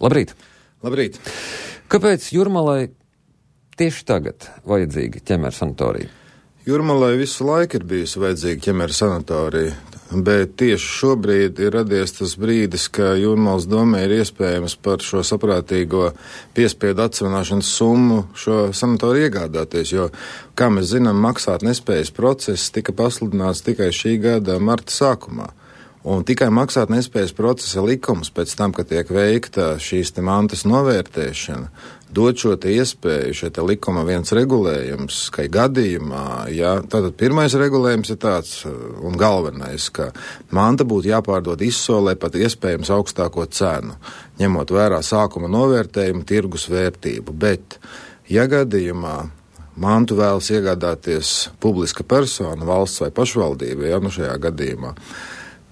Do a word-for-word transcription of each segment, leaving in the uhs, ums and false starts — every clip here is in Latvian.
Labrīt! Labrīt! Kāpēc Jūrmalai tieši tagad vajadzīga ķemeru sanatorija? Jūrmalai visu laiku ir bijusi vajadzīga ķemeru sanatorija, bet tieši šobrīd ir radies tas brīdis, ka Jūrmalas domē ir iespējams par šo saprātīgo piespiedu atsevināšanas summu šo sanatoriju iegādāties, jo, kā mēs zinām, maksāt nespējas process tika pasludināts tikai šī gada marta sākumā. Un tikai maksāt nespējas procesa likums pēc tam, kad tiek veikta šīs te mantas novērtēšana, dod šo te iespēju, šie te likuma viens regulējums, ka gadījumā, ja, tātad pirmais regulējums ir tāds un galvenais, ka manta būtu jāpārdod izsolē pat iespējams augstāko cenu, ņemot vērā sākuma novērtējumu tirgus vērtību, bet, ja gadījumā mantu vēlas iegādāties publiska persona, valsts vai pašvaldība, ja, nu šajā gadījumā,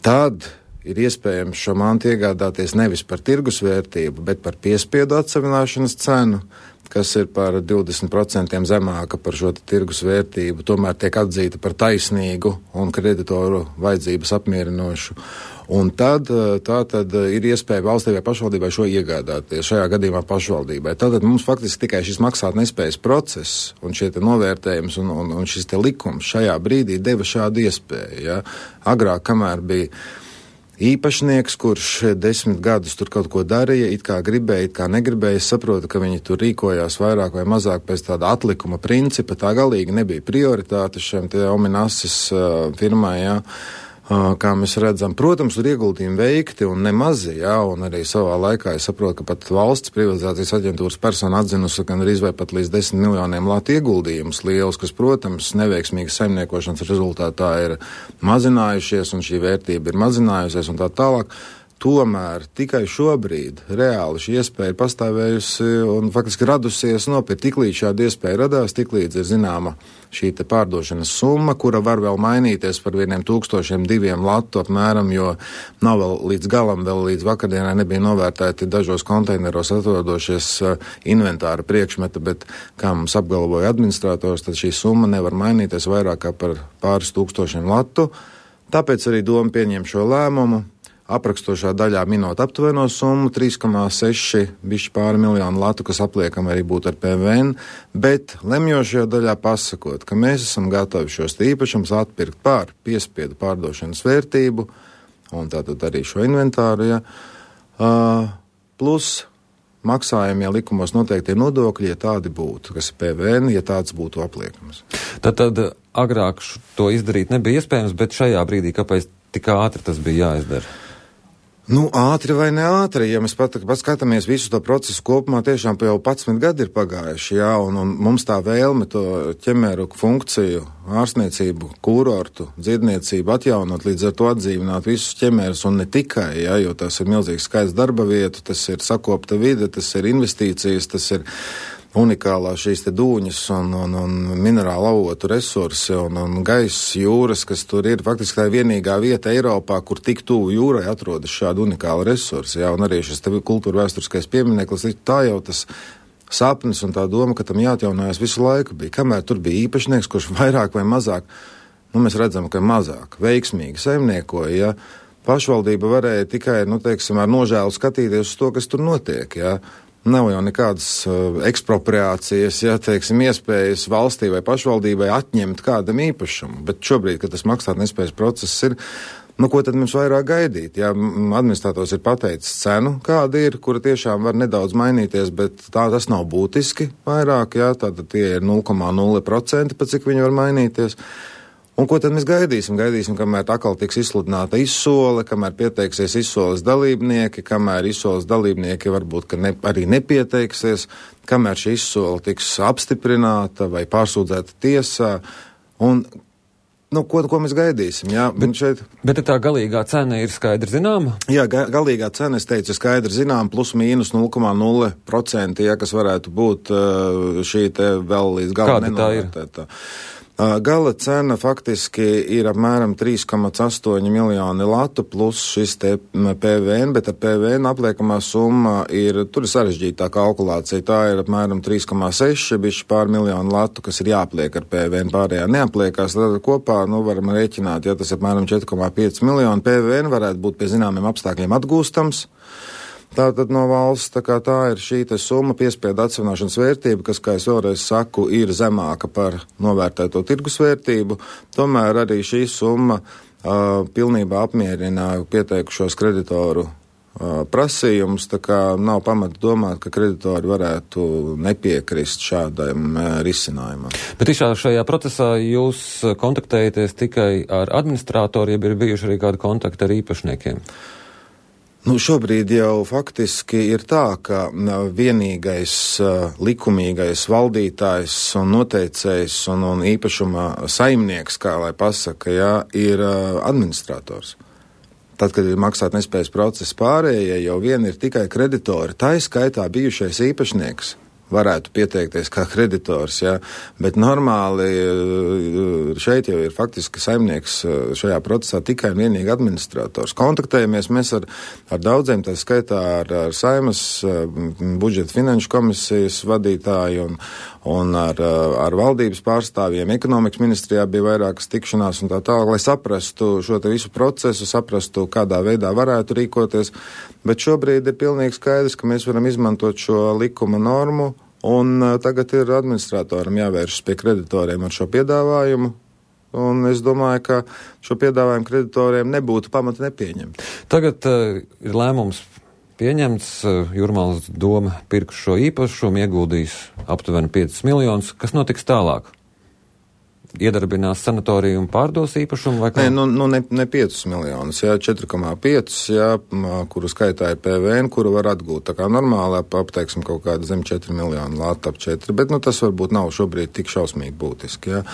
tad ir iespējams šo mantu iegādāties nevis par tirgus vērtību, bet par piespiedu atsevināšanas cenu, kas ir par divdesmit procentiem zemāka par šo tirgus vērtību, tomēr tiek atzīta par taisnīgu un kreditoru vajadzības apmierinošu. Un tad, tā tad ir iespēja valstī vai pašvaldībai šo iegādāties, šajā gadījumā pašvaldībai. Tātad mums faktiski tikai šis maksāt nespējas process un šie te novērtējums un, un, un šis te likums šajā brīdī deva šādu iespēju. Ja? Agrāk, kamēr bija īpašnieks, kurš desmit gadus tur kaut ko darīja, it kā gribēja, it kā negribēja, es saprotu, ka viņi tur rīkojās vairāk vai mazāk pēc tāda atlikuma principa, tā galīgi nebija prioritāte šiem te Ominasis uh, firmai, jā. Uh, kā mēs redzam, protams, tur ieguldījumi veikti un nemazi, jā, un arī savā laikā es saprotu, ka pat valsts privatizācijas aģentūras persona atzinusi, ka arī vai pat līdz desmit miljoniem latu ieguldījumus liels, kas, protams, neveiksmīgas saimniekošanas rezultātā ir mazinājušies un šī vērtība ir mazinājusies un tā tālāk. Tomēr tikai šobrīd reāli šī iespēja ir pastāvējusi un faktiski radusies nopirkt. Tiklīdz šāda iespēja radās, tiklīdz ir zināma šī te pārdošanas summa, kura var vēl mainīties par vieniem tūkstošiem diviem latu apmēram, jo nav vēl līdz galam, vēl līdz vakardienai nebija novērtēti dažos konteineros atrodošies inventāra priekšmeta, bet, kā mums apgalvoja administrators, tad šī summa nevar mainīties vairāk kā par pāris tūkstošiem latu. Tāpēc arī doma pieņem šo lēmumu. Aprakstošā daļā minot aptuveno summu trīs komā seši bišķi pāri miljonu latu, kas apliekam arī būtu ar P V N, bet lemjošajā daļā pasakot, ka mēs esam gatavi šos īpašumus atpirkt pār piespiedu pārdošanas vērtību, un tātad arī šo inventāru, ja, uh, plus maksājumie likumos noteiktie nodokļi, ja tādi būtu, kas ir P V N, ja tāds būtu apliekams. Tad, tad agrāk to izdarīt nebija iespējams, bet šajā brīdī kāpēc tik ātri tas bija jāizdara? Nu, ātri vai ne ātri, ja mēs pat, pat skatāmies visu to procesu kopumā, tiešām jau padsmit gadi ir pagājuši, jā, un, un mums tā vēlme to ķemeru funkciju, ārstniecību, kurortu, dziedniecību atjaunot, līdz ar to atdzīvināt visus ķemerus, un ne tikai, jā, jo tas ir milzīgs skaits darba vietu, tas ir sakopta vide, tas ir investīcijas, tas ir unikālā šīs te dūņas un, un, un minerāla avotu resursi un, un gaiss jūras, kas tur ir. Faktiski tā ir vienīgā vieta Eiropā, kur tik tuvu jūrai atrodas šādi unikāli resursi. Jā, un arī šis te kultūra vēsturiskais piemineklis, tā jau tas sapnis un tā doma, ka tam jāatjaunojas visu laiku bija. Kamēr tur bija īpašnieks, kurš vairāk vai mazāk, nu mēs redzam, ka mazāk veiksmīgi saimniekoja, ja pašvaldība varēja tikai, nu teiksim, ar nožēlu skatīties uz to, kas tur notiek, ja. Nav jau nekādas uh, ekspropriācijas, ja, teiksim, iespējas valstī vai pašvaldībai atņemt kādam īpašumu, bet šobrīd, kad tas maksāt nespējas process ir, nu, ko tad mums vairāk gaidīt? Jā, administrators ir pateicis cenu, kāda ir, kura tiešām var nedaudz mainīties, bet tā tas nav būtiski vairāk, jā, tātad tie ir nulle komā nulle procenti, pa cik viņi var mainīties. Un ko tad mēs gaidīsim? Gaidīsim, kamēr atkal tiks izsludināta izsole, kamēr pieteiksies izsoles dalībnieki, kamēr izsoles dalībnieki varbūt, ka ne, arī nepieteiksies, kamēr šī izsole tiks apstiprināta vai pārsūdzēta tiesā. Un, nu, ko, ko mēs gaidīsim? Jā, bet, šeit... bet tā galīgā cena ir skaidri zināma? Jā, ga, galīgā cena, es teicu, ir skaidri zināma, plus mīnus nulle komā nulle procenti, ja, kas varētu būt šī te vēl līdz galam nenovērtētā. Gala cena faktiski ir apmēram trīs komā astoņi miljoni latu plus šis te P V N, bet ar P V N apliekamā summa ir, tur ir sarežģītā kalkulācija, tā ir apmēram trīs komā seši, bišķi pār miljonu latu, kas ir jāpliek ar P V N, pārējā neapliekās, tad kopā, nu, varam rēķināt, ja tas ir apmēram četri komā pieci miljoni, P V N varētu būt pie zināmiem apstākļiem atgūstams. Tātad no valsts tā, kā tā ir šī te summa piespiedu atsevināšanas vērtība, kas, kā es vēlreiz saku, ir zemāka par novērtēto tirgus vērtību. Tomēr arī šī summa uh, pilnībā apmierina pieteikušos kreditoru uh, prasījumus, tā kā nav pamata domāt, ka kreditori varētu nepiekrist šādam uh, risinājumam. Bet tiešām šajā procesā jūs kontaktējaties tikai ar administrātoriem, ja ir bijuši arī kādi kontakti ar īpašniekiem? Nu, šobrīd jau faktiski ir tā, ka vienīgais uh, likumīgais valdītājs un noteicējs un, un īpašuma saimnieks, kā lai pasaka, jā, ir uh, administrators. Tad, kad ir maksāt nespējas process pārējie, jau vien ir tikai kreditori. Tā ir skaitā bijušais īpašnieks varētu pieteikties kā kreditors, ja, bet normāli šeit jau ir faktiski saimnieks šajā procesā tikai un vienīgi administrators. Kontaktējamies mēs ar, ar daudziem, tā skaitā ar, ar Saimas budžeta finanšu komisijas vadītāju un, un ar, ar valdības pārstāvjiem. Ekonomikas ministrijā bija vairākas tikšanās un tā tālāk, lai saprastu šo te visu procesu, saprastu, kādā veidā varētu rīkoties, bet šobrīd ir pilnīgi skaidrs, ka mēs varam izmantot šo likuma normu. Un uh, tagad ir administratoram jāvēršas pie kreditoriem ar šo piedāvājumu, un es domāju, ka šo piedāvājumu kreditoriem nebūtu pamata nepieņemt. Tagad uh, ir lēmums pieņemts, uh, Jūrmalas doma pirks šo īpašumu, ieguldīs aptuveni piecus miljonus. Kas notiks tālāk? Iedarbinās sanatoriju un pārdos īpašumu vai kā? Nē, nu, nu ne, ne piecus miljonus, jā, četri komā pieci, jā, kuru skaitā ir P V N, kuru var atgūt. Tā kā normālā, apteiksim, kaut kāda zem četri miljoni, lāta ap četri, bet, nu, tas varbūt nav šobrīd tik šausmīgi būtiski, jā.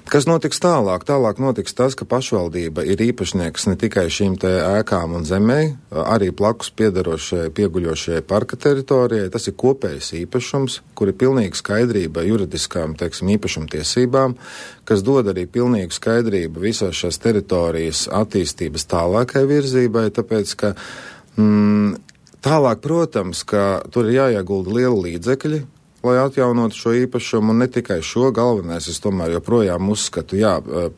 Kas notiks tālāk? Tālāk notiks tas, ka pašvaldība ir īpašnieks ne tikai šīm te ēkām un zemē, arī plakus piedarošajai, pieguļošajai parka teritorijai. Tas ir kopējs īpašums, kur ir pilnīga skaidrība juridiskām, teiksim, īpašumtiesībām, kas dod arī pilnīgu skaidrību visās šās teritorijas attīstības tālākai virzībai, tāpēc, ka mm, tālāk, protams, ka tur ir jāiegulda liela līdzekļi, lai atjaunotu šo īpašumu, un ne tikai šo, galvenais es tomēr joprojām uzskatu, jā,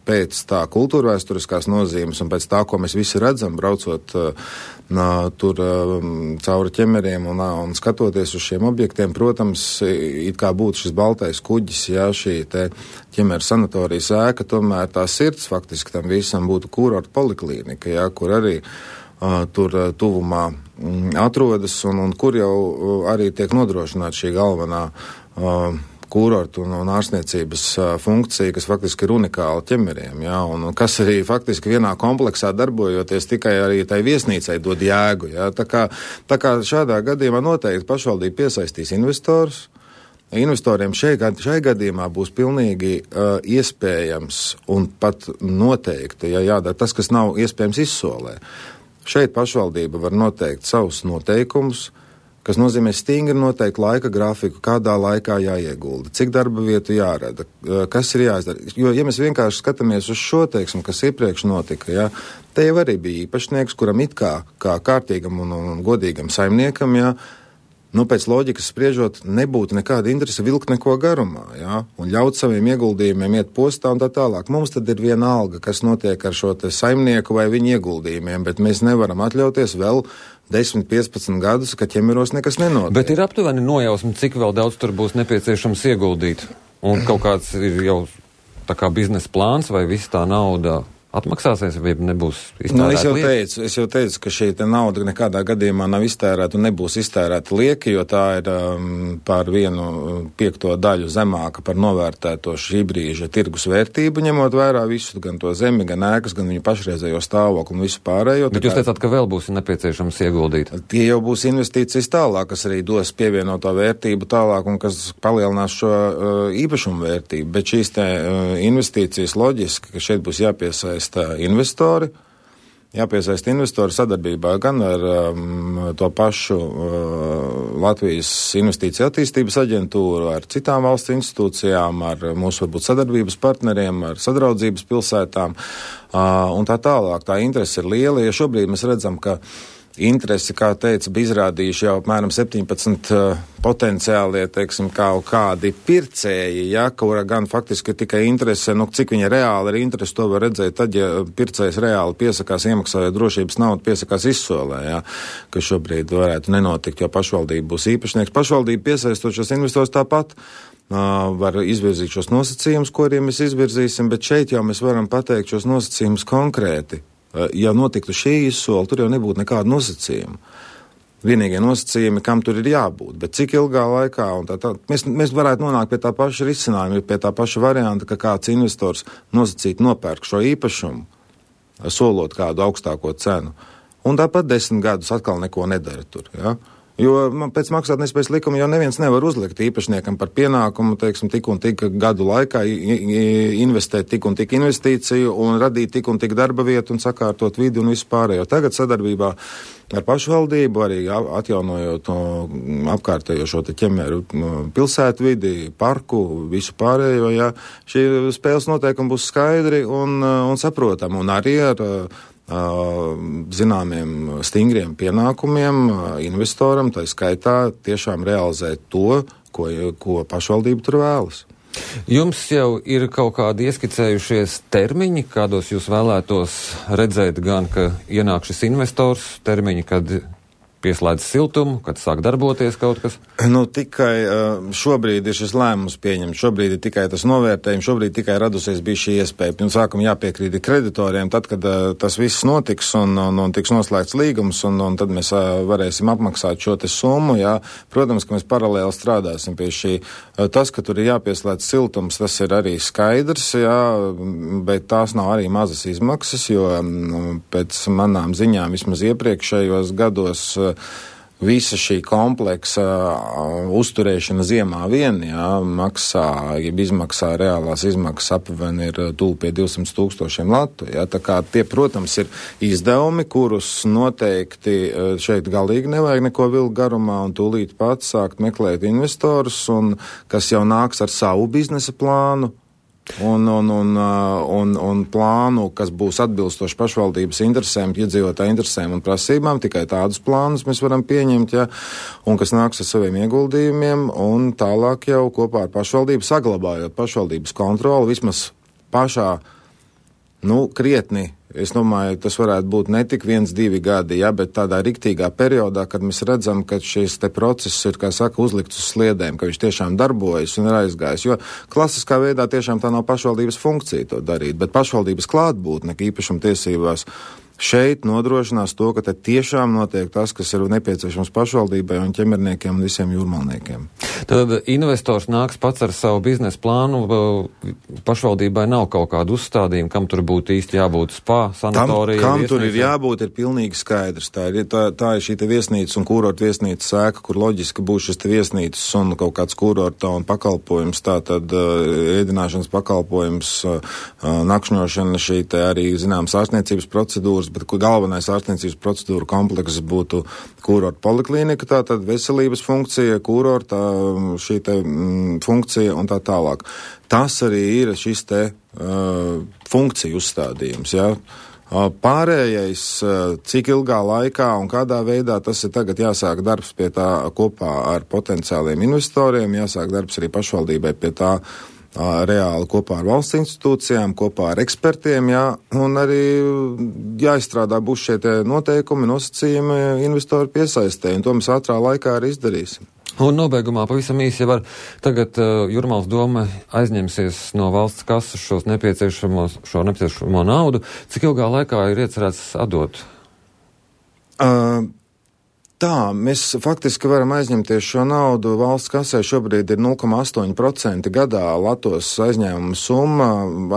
pēc tā kultūrvēsturiskās nozīmes un pēc tā, ko mēs visi redzam, braucot nā, tur cauri ķemeriem un, un skatoties uz šiem objektiem, protams, it kā būtu šis baltais kuģis, jā, šī te ķemera sanatorijas ēka, tomēr tā sirds faktiski tam visam būtu kurorta poliklīnika, jā, kur arī uh, tur uh, tuvumā atrodas un, un kur jau arī tiek nodrošināta šī galvenā uh, kurortu un, un ārstniecības uh, funkcija, kas faktiski ir unikāla ķemeriem, jā, un, un kas arī faktiski vienā kompleksā darbojoties tikai arī tai viesnīcai dod jēgu, jā. Tā kā, tā kā šādā gadījumā noteikti pašvaldība piesaistīs investorus. Investoriem šai, šai gadījumā būs pilnīgi uh, iespējams un pat noteikti, ja jādara tas, kas nav iespējams izsolē. Šeit pašvaldība var noteikt savus noteikumus, kas nozīmē stingri noteikt laika grafiku, kādā laikā jāiegulda, cik darba vietu jārada, kas ir jāizdara. Jo, ja mēs vienkārši skatāmies uz šo, teiksim, kas iepriekš notika, jā, te jau arī bija īpašnieks, kuram it kā, kā kārtīgam un, un godīgam saimniekam, jā, nu, pēc loģikas spriežot, nebūtu nekāda interese vilkt neko garumā, jā, un ļaut saviem ieguldījumiem iet postā un tā tālāk. Mums tad ir viena alga, kas notiek ar šo te saimnieku vai viņa ieguldījumiem, bet mēs nevaram atļauties vēl desmit, piecpadsmit gadus, ka ķemeros nekas nenotiek. Bet ir aptuveni nojausmi, cik vēl daudz tur būs nepieciešams ieguldīt, un kaut kāds ir jau tā kā biznesa plāns vai viss tā nauda atmaksāsies, vai nebūs iztērēta nu, es jau lieka? teicu, es jau teicu, ka šī nauda nekādā gadījumā nav iztērēta un nebūs iztērēta lieka, jo tā ir um, par vienu piekto daļu zemāka par novērtēto šī brīža tirgus vērtību, ņemot vērā visu, gan to zemi, gan ēkas, gan viņu pašreizējo stāvokli un visu pārējo. Bet jūs teicāt, ka vēl būs nepieciešams ieguldīt. Tie jau būs investīcijas tālāk, kas arī dos pievienoto vērtību tālāk un kas palielinās šo uh, īpašumu vērtību, bet šīs te uh, investīcijas loģiski, ka šeit būs jāpiesaista investori, jāpiesaist investori sadarbībā gan ar um, to pašu uh, Latvijas investīciju attīstības aģentūru, ar citām valsts institūcijām, ar mūsu varbūt sadarbības partneriem, ar sadraudzības pilsētām uh, un tā tālāk. Tā interese ir liela, ja šobrīd mēs redzam, ka interesi, kā teica, bija izrādījuši jau apmēram septiņpadsmit uh, potenciālie, teiksim, kā kādi pircēji, ja, kura gan faktiski tikai interese, nu, cik viņa reāli ir interesi, to var redzēt tad, ja pircējs reāli piesakās iemaksājot drošības naudu, piesakās izsolē, ja, ka šobrīd varētu nenotikt, jo pašvaldība būs īpašnieks. Pašvaldība piesaistot šos investors tāpat uh, var izvirzīt šos nosacījumus, ko arī mēs izvirzīsim, bet šeit jau mēs varam pateikt šos nosacījumus konkrēti. Ja notiktu šī izsola, tur jau nebūtu nekāda nosacījuma. Vienīgie nosacījumi, kam tur ir jābūt, bet cik ilgā laikā, un tā, tā, mēs, mēs varētu nonākt pie tā paša risinājuma, pie tā paša varianta, ka kāds investors nosacīt nopērk šo īpašumu, solot kādu augstāko cenu, un tāpat desmit gadus atkal neko nedara tur, ja? Jo pēc maksātnespējas likuma jau neviens nevar uzlikt īpašniekam par pienākumu, teiksim, tik un tik gadu laikā investēt tik un tik investīciju un radīt tik un tik darba vietu un sakārtot vidi un visu pārējo. Tagad sadarbībā ar pašvaldību, arī atjaunojot apkārtējo šo te ķemeru pilsētu vidi, parku, visu pārējo, ja, šī spēles noteikumi būs skaidri un, un saprotami, un arī ar zināmiem stingriem pienākumiem investoram, tā skaitā tiešām realizēt to, ko, ko pašvaldība tur vēlas. Jums jau ir kaut kādi ieskicējušies termiņi, kādos jūs vēlētos redzēt gan, ka ienāk šis investors, termiņi, kad pieslēdz siltumu, kad sāk darboties kaut kas? Nu, tikai šobrīd ir šis lēmums pieņemts, šobrīd ir tikai tas novērtējums, šobrīd tikai radusies bija šī iespēja. Pirms sākuma jāpiekrīt kreditoriem, tad, kad uh, tas viss notiks un, un, un tiks noslēgts līgums, un, un tad mēs uh, varēsim apmaksāt šo te summu, jā. Protams, ka mēs paralēli strādāsim pie šī. Uh, tas, ka tur ir jāpieslēdz siltums, tas ir arī skaidrs, jā, bet tās nav arī mazas izmaksas, jo um, pēc manām ziņām vismaz iepriekšējos gados uh, visa šī kompleksa uh, uzturēšana ziemā vien, jā, maksā, ja izmaksā reālās izmaksas apvien ir tuvu pie divsimt tūkstošiem latu, jā, tā kā tie, protams, ir izdevumi, kurus noteikti uh, šeit galīgi nevajag neko vilkt garumā un tūlīt pats sākt meklēt investorus, un kas jau nāks ar savu biznesa plānu, Un, un, un, un, un plānu, kas būs atbilstoši pašvaldības interesēm, iedzīvotāju interesēm un prasībām, tikai tādus plānus mēs varam pieņemt, ja, un kas nāks ar saviem ieguldījumiem, un tālāk jau kopā ar pašvaldību saglabājot pašvaldības kontroli, vismaz pašā, nu, krietni. Es domāju, tas varētu būt ne tik viens, divi gadi, ja, bet tādā riktīgā periodā, kad mēs redzam, ka šis te process ir, kā saka, uzlikts uz sliedēm, ka viņš tiešām darbojas un ir aizgājis, jo klasiskā veidā tiešām tā nav pašvaldības funkcija to darīt, bet pašvaldības klātbūtne īpašuma tiesībās šeit nodrošinās to, ka te tiešām notiek tas, kas ir nepieciešams pašvaldībai un ķemerniekiem un visiem jūrmalniekiem. Tad investors nāks pats ar savu biznesa plānu, pašvaldībai nav kaut kādu uzstādījumu, kam tur būtu īsti jābūt spā, sanatorija. Tam, kam tur ir jābūt, ir pilnīgi skaidrs. Tā ir, tā, tā ir šī te viesnīcas un kurorta viesnīcas sēka, kur loģiski būs šis te viesnīcas un kaut kāds kurorta un pakalpojums, tā tad uh, ēdināšanas pakalpojums, uh, nakšņošana, šī te arī, zināms, ārstniecības procedūras, bet galvenais ārstniecības procedūra komplekss būtu kurorta poliklinika, tātad veselības funkcija, kurorta šī te mm, funkcija un tā tālāk. Tas arī ir šis te uh, funkciju uzstādījums, jā. Uh, pārējais, uh, cik ilgā laikā un kādā veidā tas ir tagad jāsāk darbs pie tā kopā ar potenciāliem investoriem, jāsāk darbs arī pašvaldībai pie tā reāli kopā ar valsts institūcijām, kopā ar ekspertiem, jā, un arī jāizstrādā būs šie tie noteikumi, nosacījumi investoru piesaistē, un to mēs ātrā laikā arī izdarīsim. Un nobeigumā pavisam īsi, ja var, tagad uh, Jūrmālas doma aizņemsies no valsts kasas šos nepieciešamos, šo nepieciešamo naudu, cik ilgā laikā ir iecerēts atdot? Uh, Tā, mēs faktiski varam aizņemties šo naudu. Valsts kasē šobrīd ir nulle komats astoņi procenti gadā Latvijas aizņēmuma summa.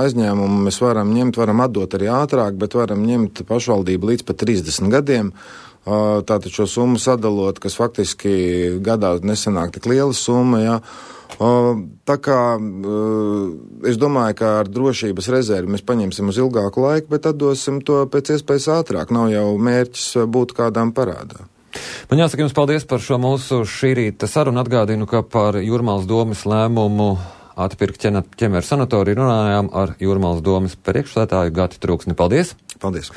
Aizņēmumu mēs varam ņemt, varam atdot arī ātrāk, bet varam ņemt pašvaldību līdz pat trīsdesmit gadiem. Tātad šo summu sadalot, kas faktiski gadā nesanāk tik liela summa, jā. Tā kā es domāju, ka ar drošības rezervi mēs paņemsim uz ilgāku laiku, bet atdosim to pēc iespējas ātrāk. Nav jau mērķis būt kādām parādā. Man jāsaka jums paldies par šo mūsu šī rīta sarunu. Atgādinu, ka par Jūrmālas domas lēmumu atpirkt ķemeru sanatoriju runājām ar Jūrmālas domas priekšsēdētāju Gati Trūksni. Paldies! Paldies!